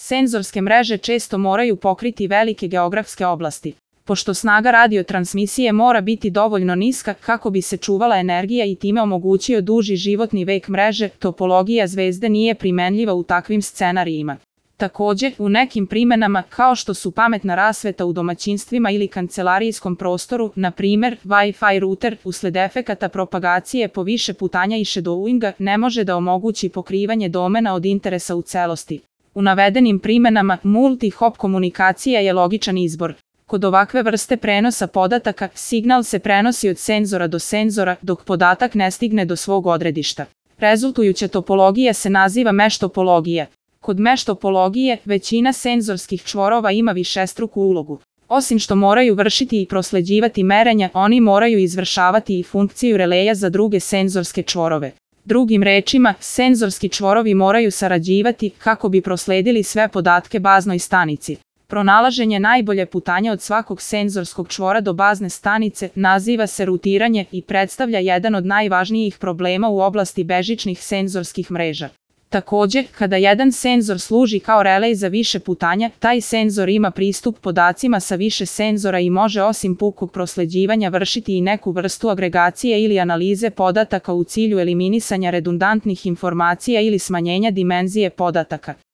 Senzorske mreže često moraju pokriti velike geografske oblasti. Pošto snaga radiotransmisije mora biti dovoljno niska kako bi se čuvala energija i time omogućio duži životni vek mreže, topologija zvezde nije primenljiva u takvim scenarijima. Takođe, u nekim primenama, kao što su pametna rasveta u domaćinstvima ili kancelarijskom prostoru, na primer, Wi-Fi router, usled efekata propagacije po više putanja i shadowinga, ne može da omogući pokrivanje domena od interesa u celosti. U navedenim primenama, multi-hop komunikacija je logičan izbor. Kod ovakve vrste prenosa podataka, signal se prenosi od senzora do senzora, dok podatak ne stigne do svog odredišta. Rezultujuća topologija se naziva mesh topologija. Kod mesh topologije, većina senzorskih čvorova ima višestruku ulogu. Osim što moraju vršiti i prosleđivati merenja, oni moraju izvršavati i funkciju releja za druge senzorske čvorove. Drugim rečima, senzorski čvorovi moraju sarađivati kako bi prosledili sve podatke baznoj stanici. Pronalaženje najbolje putanja od svakog senzorskog čvora do bazne stanice naziva se rutiranje i predstavlja jedan od najvažnijih problema u oblasti bežičnih senzorskih mreža. Takođe, kada jedan senzor služi kao relej za više putanja, taj senzor ima pristup podacima sa više senzora i može osim pukog prosleđivanja vršiti i neku vrstu agregacije ili analize podataka u cilju eliminisanja redundantnih informacija ili smanjenja dimenzije podataka.